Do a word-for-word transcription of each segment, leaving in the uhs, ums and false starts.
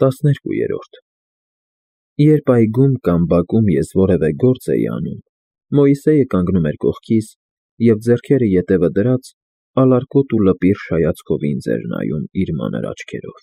տասներկուերորդ Երբ այգում կամ բակում ես որևէ գործ էի անում, Մոյսեյը կանգնում էր կողքիս և, ձեռքերը ետևը դրած, ալարկոտ ու լպիր շայացքով ինձ էր նայում իր մանր աչքերով,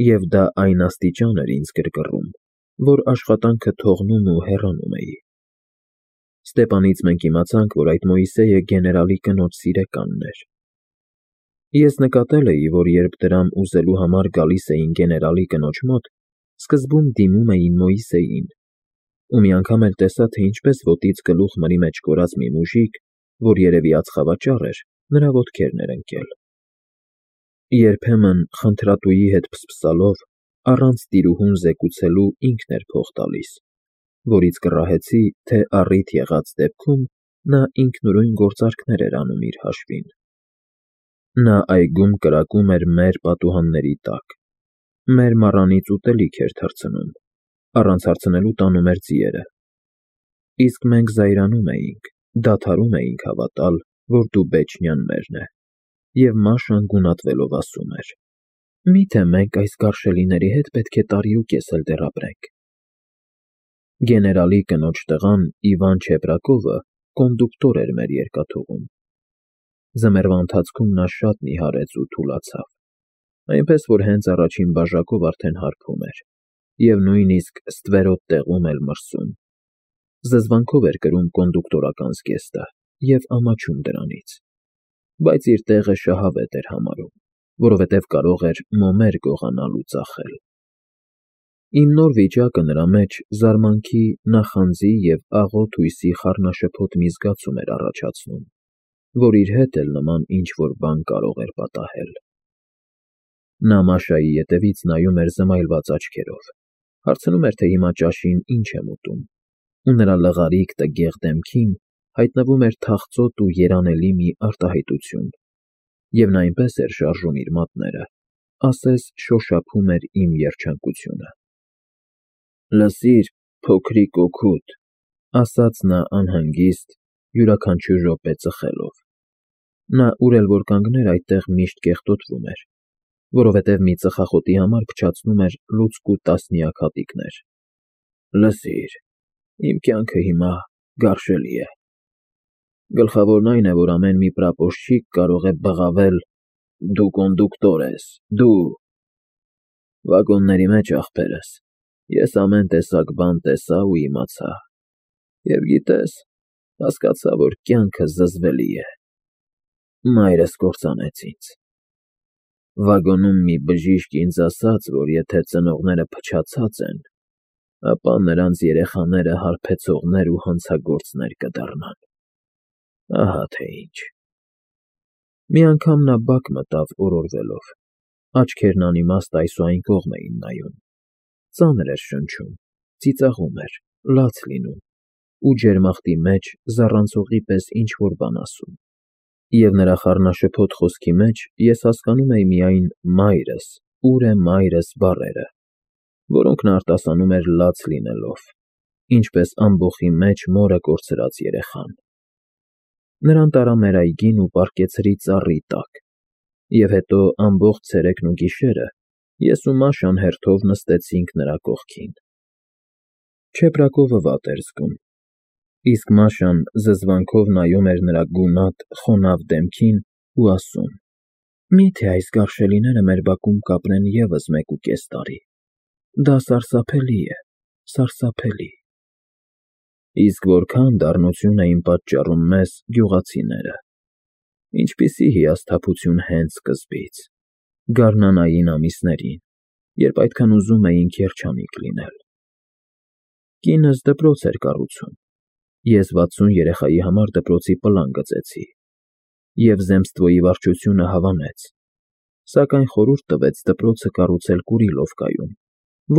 և դա այն աստիճան էր ինձ գրգռում, որ աշխատանքը թողնում ու հեռանում էի։ Ստեպանից մենք իմացանք, որ այդ Մոյսեյը գեներալի կնոջ սիրեկանն էր։ Ես նկատել էի, որ երբ դրամ ուզելու համար գալիս էին գեներալի կնոջ մոտ, սկզբում դիմում էին Մոյսեյին, ու մի անգամ էլ տեսա, թե ինչպես ոտից գլուխ մրի մեջ կորած մի մուժիկ, որ երևի ածխավաճառ էր, նրա ոտքերն էր ընկել։ Երբեմն, խնդրատուի հետ փսփսալով, առանց տիրուհուն զեկուցելու ինքն էր փող տալիս, որից կռահեցի, թե առիթ եղած դեպքում նա ինքնուրույն գործարքներ էր անում իր հաշվին։ Նա այգում կրակում էր մեր պատուհանների տակ, մեր մառանից ուտելիք էր թռցնում, առանց հարցնելու տանում էր ձիերը, իսկ մենք զայրանում էինք, դադարում էինք հավատալ, որ դու Բեչնիան մերն է, և Մաշան գունատվելով ասում էր. «Մի՞թե մենք այս գարշելիների հետ պետք է տարի ու կես էլ դեռ ապրենք»։ Գեներալի կնոջ տղան Իվան Չեպրակովը կոնդուկտոր էր մեր երկաթուղում։ Ձմեռվա ընթացքում նա շատ նիհարեց ու թուլացավ, այնպես որ հենց առաջին բաժակով արդեն հարբում էր և նույնիսկ ստվերոտ տեղում էլ մրսում։ Զզվանքով էր կրում կոնդուկտորական զգեստը և ամաչում դրանից, բայց իր տեղը շահավետ էր համարում, որովհետև կարող էր մոմեր գողանալ ու ծախել։ Իմ նոր վիճակը նրա մեջ զարմանքի, նախանձի և աղոտ հույսի խառնաշփոթ մի զգացում էր առաջացնում, որ իր հետ էլ նման ինչ֊որ բան կարող էր պատահել։ Նա Մաշայի ետևից նայում էր զմայլված աչքերով, հարցնում էր, թե հիմա ճաշին ինչ եմ ուտում, ու նրա լղարիկ տգեղ դեմքին հայտնվում էր թախծոտ ու երանելի մի արտահայտություն, և նա այնպես էր շարժում իր մատները, ասես շոշափում էր իմ երջանկությունը։ «Լսիր, փոքրիկ օգուտ», ֊ ասաց նա անհանգիստ, յուրաքանչյուր րոպե ծխելով։ Նա ուր էլ որ կանգներ այդտեղ միշտ կեղտոտվում էր, որովհետև մի ծխախոտի համար փչացնում էր լուցկու տասնյակ հատիկներ։ «Լսիր, իմ կյանքը հիմա գարշելի է։ Գլխավորն այն է, որ ամեն մի պրապորշչիկ կարող է բղավել. «Դու կոնդուկտոր ես, դու…»։ Վագոնների մեջ, ախպերս, ես ամեն տեսակ բան տեսա ու իմացա, և գիտես, հասկացա, որ կյանքը զզվելի է։ Մայրս կործանեց ինձ։ Վագոնում մի բժիշկ ինձ ասաց, որ եթե ծնողները փչացած են, ապա նրանց երեխաները հարբեցողներ ու հանցագործներ կդառնան։ Ահա թե ինչ։ Մի անգամ նա բակ մտավ օրորվելով, աչքերն անիմաստ այս ու այն կողմ էին նայում, ծանր էր շնչում, ծիծաղում էր, լաց լինում ու ջերմախտի մեջ զառանցողի պես ինչ֊որ բան ասում, և նրա խառնաշփոթ խոսքի մեջ ես հասկանում էի միայն «մայրս, ո՞ւր է մայրս» բառերը, որոնք նա արտասանում էր լաց լինելով, ինչպես ամբոխի մեջ մորը կորցրած երեխան։ Նրան տարա մեր այգին ու պառկեցրի ծառի տակ, և հետո ամբողջ ցերեկն ու գիշերը ես ու Մաշան հերթով նստեցինք նրա կողքին։ Չեպրակովը վատ էր զգում, իսկ Մաշան զզվանքով նայում էր նրա գունատ, խոնավ դեմքին ու ասում. «Մի՞թե այս գարշելիները մեր բակում կապրեն ևս մեկ ու կես տարի։ Դա սարսափելի է, սարսափելի»։ Իսկ որքան դառնություն էին պատճառում մեզ գյուղացիները։ Ինչպիսի հիասթափություն հենց սկզբից, գարնանային ամիսներին, երբ այդքան ուզում էինք երջանիկ լինել։ Կինս դպրոց էր կառուցում, ես վաթսուն երեխայի համար դպրոցի պլան գծեցի, և zemstvոյի վարչությունը հավանեց, սակայն խորհուրդ տվեց դպրոցը կառուցել Կուրիլովկայում,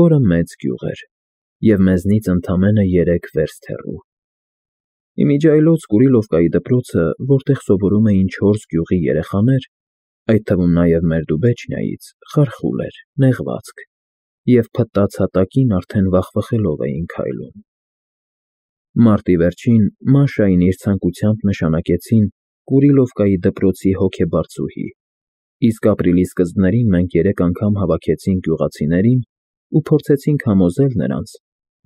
որը մեծ գյուղ էր և մեզնից ընդամենը երեք վերստ հեռու։ Իմիջիայլոց Կուրիլովկայի դպրոցը, որտեղ սովորում էին չորս գյուղի երեխաներ, այդ թվում նաև մեր Դուբեչնիայից, խարխուլ էր, նեղվածք, և փտած հատակին արդեն վախվխելով էին քայլում։ Մարտի վերջին Մաշային իր ցանկությամբ նշանակեցին Կուրիլովկայի դպրոցի հոգեբարձուհի, Իսկ ապրիլի սկզբներին մենք երեք անգամ հավաքեցինք գյուղացիներին ու փորձեցինք համոզել նրանց,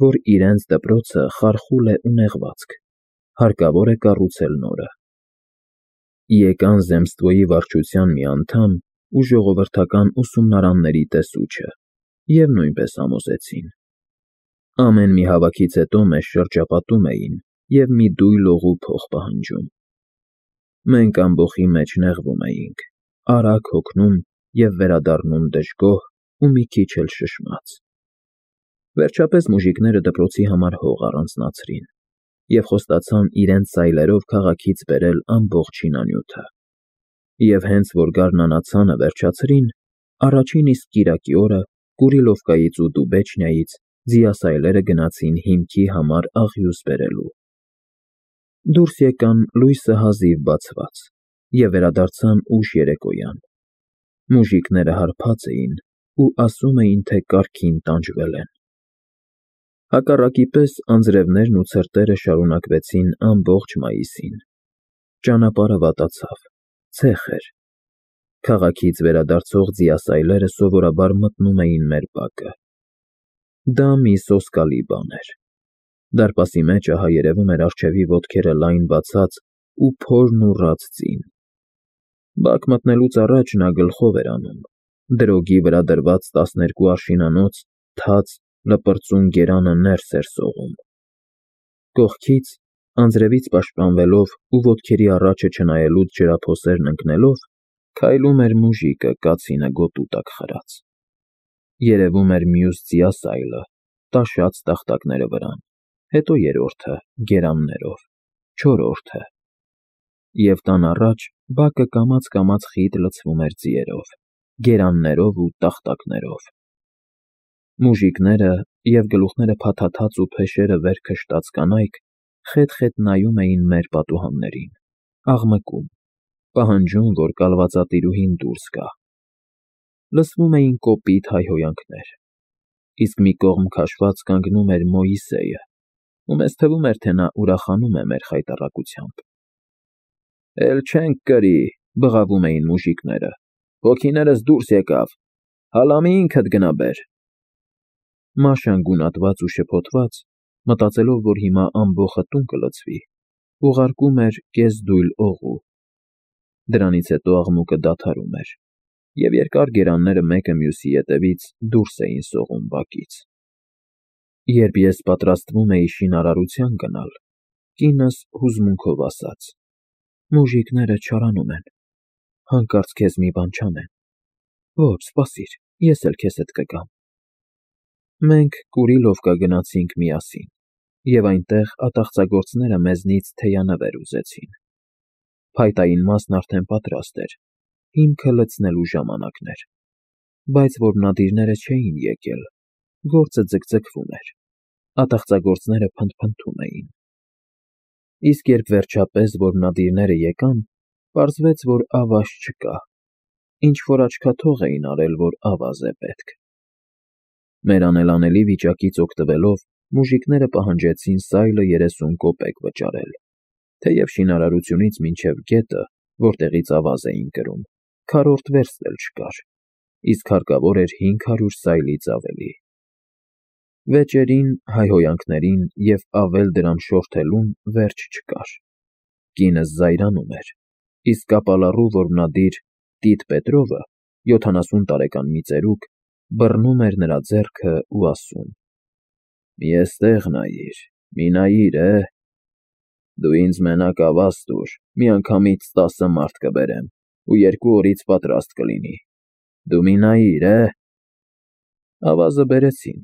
որ իրենց դպրոցը խարխուլ է ու նեղվածք, հարկավոր է կառուցել նորը։ Եկան Zemstvo-ի վարչության մի անդամ ու ժողովրդական ուսումնարանների տեսուչը և նույնպես համոզեցին։ Ամեն մի հավաքից հետո մեզ շրջապատում էին և մի դույլ օղու փող պահանջում։ Մենք ամբոխի մեջ նեղվում էինք, արագ հոգնում և վերադառնում դժգոհ ու մի քիչ էլ շշմած։ Վերջապես մուժիկները դպրոցի համար հող առանձնացրին և խոստացան իրենց սայլերով քաղաքից բերել ամբողջ շինանյութը։ Եվ հենց որ գարնանացանը վերջացրին, առաջին իսկ կիրակի օրը Կուրիլովկայից ու Դուբեչնիայից ձիասայլերը գնացին հիմքի համար աղյուս բերելու։ Դուրս եկան լույսը հազիվ բացված և վերադարձան ուշ երեկոյան։ Մուժիկները հարբած էին ու ասում էին, թե կառքին տանջվել են։ Հակառակի պես անձրևներն ու ցրտերը շարունակվեցին ամբողջ մայիսին։ Ճանապարհը վատացավ, ցեխ էր։ Քաղաքից վերադարձող ձիասայլերը սովորաբար մտնում էին մեր բակը։ Դա մի սոսկալի բան էր։ Դարպասի մեջ ահա երևում էր առջևի ոտքերը լայն բացած ու փորն ու ռաց ձին։ Բակ մտնելուց առաջ նա գլխով էր անում, դրոգի վրա դրված տասներկու արշինանոց թաց լպրծուն գերանը ներս էր սողում։ Կողքից, անձրևից պաշտպանվելով ու ոտքերի առաջը չնայելուց ջրափոսերն ընկնելով, քայլում էր մուժիկը կացինը գոտու տակ խրած։ Երևում էր մյուս ձիասայլը, տաշած տախտակները վրան, հետո երրորդը՝ գերաններով, չորրորդը։ Եվ տան առաջ բակը կամաց֊կամաց խիտ լցվում էր ձիերով, գերաններով ու տախտակներով։ Մուժիկները և գլուխները փաթաթած ու փեշերը վեր քշտած կանայք խետ֊խետ նայում էին մեր պատուհաններին, աղմկում, պահանջում, որ կալվածատիրուհին դուրս գա։ Լսվում էին կոպիտ հայհոյանքներ, իսկ մի կողմ քաշված կանգնում էր Մոիսեյը, ու մեզ թվում էր, թե նա ուրախանում է մեր խայտառակությամբ։ «Էլ չենք կրի», բղավում էին մուժիկները, «հոգիներս դուրս եկավ, հալամի ինքդ գնա բեր»։ Մաշան գունատված ու շփոթված, մտածելով, որ հիմա ամբոխը տուն կլցվի, ուղարկում էր կես֊դույլ օղու։ Դրանից հետո աղմուկը դադարում էր, և երկար գերանները մեկը մյուսի ետևից դուրս էին սողում բակից։ Երբ ես պատրաստվում էի շինարարության գնալ, կինս հուզմունքով ասաց. «Մուժիկները չարանում են, հանկարծ քեզ մի բան չանեն»։ «Ոչ, սպասիր, ես էլ քեզ հետ կգամ»։ Մենք Կուրիլովկա գնացինք միասին, և այնտեղ ատաղծագործները մեզնից թեյանվեր ուզեցին։ Փայտային մասն արդեն պատրաստ էր, հիմքը լցնելու ժամանակն էր։ Բայց որմնադիրները չէին եկել, գործը ձգձգվում էր, ատաղծագործները փնթփնթում էին։ Իսկ երբ վերջապես որմնադիրները եկան, պարզվեց, որ ավազ չկա, ինչ֊որ աչքաթող էին արել, որ ավազ է պետք։ Մեր անելանելի վիճակից օգտվելով, մուժիկները պահանջեցին սայլը երեսուն կոպեկ վճարել, թեև շինարարությունից մինչև գետը, որտեղից ավազ էին կրում, քառորդ վերստ էլ չկար, իսկ հարկավոր էր հինգ հարյուր սայլից ավելի։ Վեճերին, հայհոյանքներին և ավել դրամ շորթելուն վերջ չկար։ Կինս զայրանում էր, իսկ կապալառու որմնադիր Տիտ Պետրովը, յոթանասուն տարեկան մի ծերուկ, բռնում էր նրա ձեռքը ու ասում. «Մի էստեղ նայիր, մի նայիր, է, դու ինձ մենակ ավազ տուր, միանգամից տասը մարդ կբերեմ ու երկու օրից պատրաստ կլինի, դու մի նայիր, է»։ Ավազը բերեցին,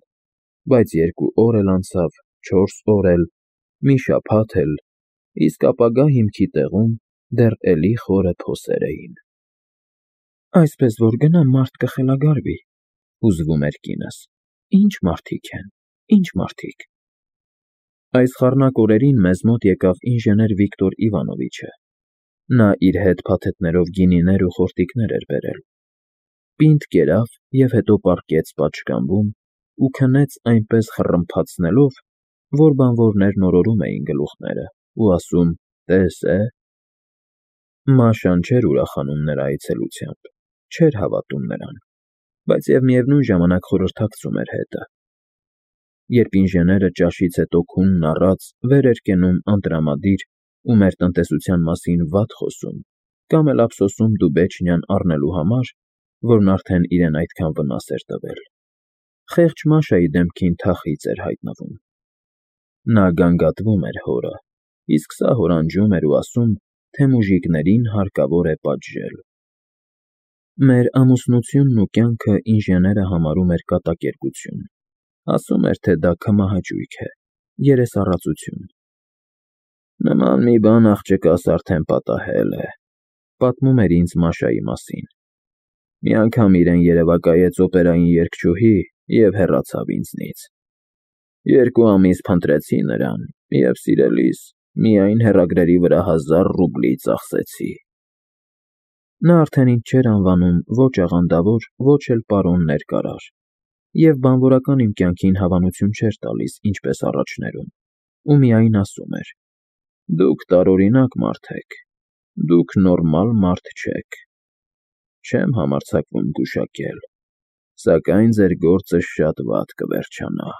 բայց երկու օր էլ անցավ, չորս օր էլ, մի շաբաթ էլ, իսկ ապագա հիմքի տեղում դեռ էլի խորը փոսեր էին։ «Այսպես որ գնամ, մարդ կխելագարվի», հուզվում էր կինս։ «Ինչ մարդիկ են, ինչ մարդիկ»։ Այս խառնակ օրերին մեզ մոտ եկավ ինժեներ Վիկտոր Իվանովիչը։ Նա իր հետ փաթեթներով գինիներ ու խորտիկներ էր բերել։ Պինդ կերավ և հետո պառկեց պատշգամբում ու քնեց այնպես խռմփացնելով, որ բանվորներն օրորում էին գլուխները ու ասում. «Տես, է»։ Մաշան չէր ուրախանում նրա այցելությամբ։ չէր հավատում նրան, բայց և միևնույն ժամանակ խորհրդակցում էր հետը։ Երբ ինժեները ճաշից հետո քունն առած վեր էր կենում անտրամադիր ու մեր տնտեսության մասին վատ խոսում կամ էլ ափսոսում Դուբեչնիան առնելու համար, որն արդեն իրեն այդքան վնաս էր տվել, խեղճ Մաշայի դեմքին թախիծ էր հայտնվում։ Նա գանգատվում էր հորը, իսկ սա հորանջում էր ու ասում, թե մուժիկներին հարկավոր է պատժել։ Մեր ամուսնությունն ու կյանքը ինժեները համարում էր կատակերգություն, ասում էր, թե դա քմահաճույք է, երեսառածություն։ Նման մի բան աղջկաս արդեն պատահել է, պատմում էր ինձ Մաշայի մասին։ Մի անգամ իրեն երևակայեց օպերային երգչուհի և հեռացավ ինձնից։ Երկու ամիս փնտրեցի նրան և, սիրելիս, միայն հեռագրերի վրա հազար ռուբլի ծախսեցի։ Նա արդեն ինձ չէր անվանում ոչ աղանդավոր, ոչ էլ պարոն ներկարար, և բանվորական իմ կյանքին հավանություն չէր տալիս ինչպես առաջներում, ու միայն ասում էր. «Դուք տարօրինակ մարդ եք, դուք նորմալ մարդ չեք։ Չեմ համարձակվում գուշակել, սակայն ձեր գործը շատ վատ կվերջանա»։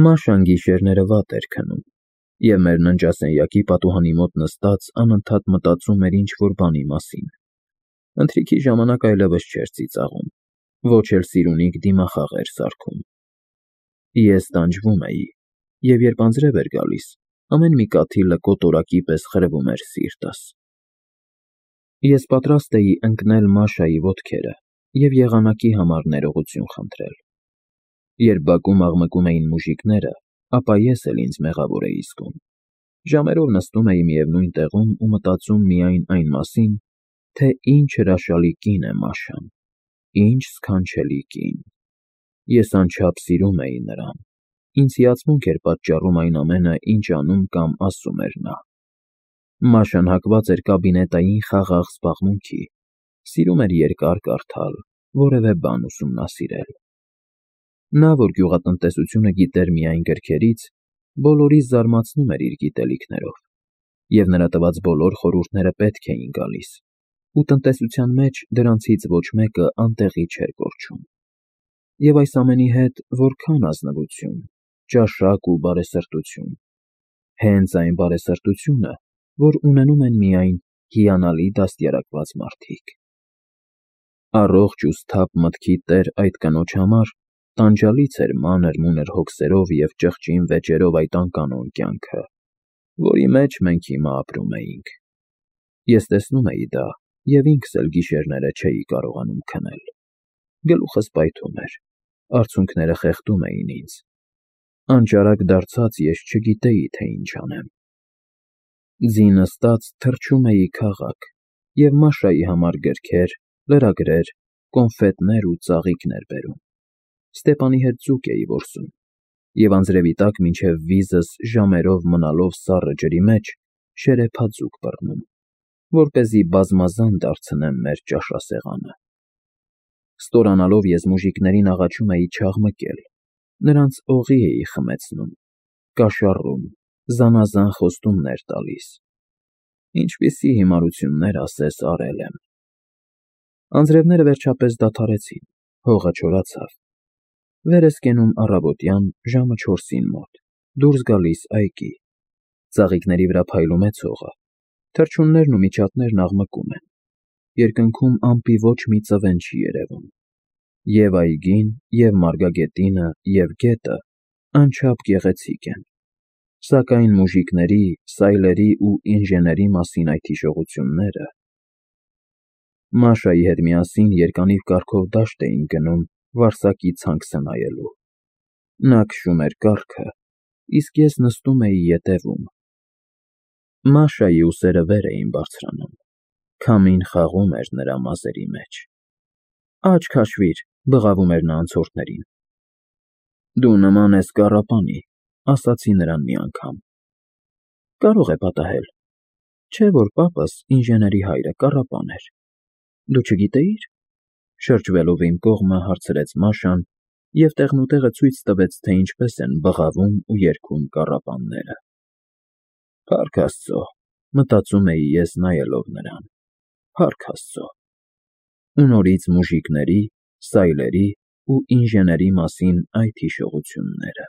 Մաշան գիշերները վատ էր քնում, և մեր ննջասենյակի պատուհանի մոտ նստած անընդհատ մտածում էր ինչ-որ բանի մասին։ Ընթրիքի ժամանակ այլևս չէր ծիծաղում, ոչ էլ սիրունիկ դիմախաղ էր սարքում։ Ես տանջվում էի, և երբ անձրև էր գալիս, ամեն մի կաթիլը կոտորակի պես խրվում էր սիրտս։ Ես պատրաստ էի ընկնել Մաշայի ոտքերը և եղանակի համար ներողություն խնդրել։ Երբ բակում աղմկում էին մուժիկները, ապա ես էլ ինձ մեղավոր էի զգում։ Ժամերով նստում էի միևնույն տեղում ու մտածում միայն այն մասին, թե ինչ հրաշալի կին է Մաշան, ինչ սքանչելի կին։ Ես անչափ սիրում էի նրան, ինձ հիացմունք էր պատճառում այն ամենը, ինչ անում կամ ասում էր նա։ Մաշան հակված էր կաբինետային խաղաղ զբաղմունքի, սիրում էր երկար կարդալ, որևէ բան ուսումնասիրել։ Նա, որ գյուղատնտեսությունը գիտեր միայն գրքերից, բոլորիս զարմացնում էր իր գիտելիքներով, և նրա տված բոլոր խորհուրդները պետք էին գալիս, ու տնտեսության մեջ դրանցից ոչ մեկը անտեղի չէր կորչում։ Եվ այս ամենի հետ որքա՜ն ազնվություն, ճաշակ ու բարեսրտություն, հենց այն բարեսրտությունը, որ ունենում են միայն հիանալի դաստիարակված մարդիկ։ Առողջ ու սթափ մտքի տեր այդ կնոջ համար տանջալից էր մանր-մունր հոգսերով և ճղճին վեճերով այդ անկանոն կյանքը, որի մեջ մենք հիմա ապրում էինք։ Ես տեսնում էի դա և ինքս էլ գիշերները չէի կարողանում քնել։ Գլուխս պայթում էր, արցունքները խեղդում էին ինձ։ Անճարակ դարձած ես չգիտեի, թե ինչ անեմ։ Ձի նստած թռչում էի քաղաք և Մաշայի համար գրքեր, լրագրեր, կոնֆետներ ու ծաղիկներ բերում։ Ստեպանի հետ ձուկ էի որսում և անձրևի տակ մինչև վիզս ժամերով մնալով սառը ջրի մեջ շերեփաձուկ բռնում, որպեսզի բազմազան դարձնեմ մեր ճաշասեղանը։ Ստորանալով ես մուժիկներին աղաչում էի չաղմկել, նրանց օղի էի խմեցնում, կաշառում, զանազան խոստումներ տալիս։ Ինչպիսի հիմարություններ ասես արել եմ։ Անձրևները վերջապես դադարեցին, հողը չորացավ։ Վեր ես կենում առավոտյան ժամը չորսին մոտ, դուրս գալիս այգի։ Ծաղիկների վրա փայլում է ցողը, թռչուններն ու միջատներն աղմկում են, երկնքում ամպի ոչ մի ծվեն չի երևում։ Եվ այգին, և մարգագետինը, և գետը անչափ գեղեցիկ են, սակայն մուժիկների, սայլերի ու ինժեների մասին այդ հիշողությունները… Մաշայի հետ միասին երկանիվ կառքով դաշտ էինք գնում վարսակի ցանք սնայելու։ Նա քշում էր կառքը, իսկ ես նստում էի ետևում։ Մաշայի ուսերը վեր էին բարձրանում, քամին խաղում էր նրա մազերի մեջ։ «Աչք հաշվիր», բղավում էր նա անցորդներին։ «Դու նման ես կառապանի», ասացի նրան մի անգամ։ «Կարող է պատահել, չէ՞ որ պապս, ինժեների հայրը, կառապան էր։ Դու չգիտեի՞ր», շրջվելով իմ կողմը հարցրեց Մաշան և տեղնուտեղը ցույց տվեց, թե ինչպես են բղավում ու երգում կառապանները։ «Փառք Աստծո», մտածում էի ես նայելով նրան, «Փառք Աստծո»։ ու նորից մուժիկների, սայլերի ու ինժեների մասին այդ հիշողությունները։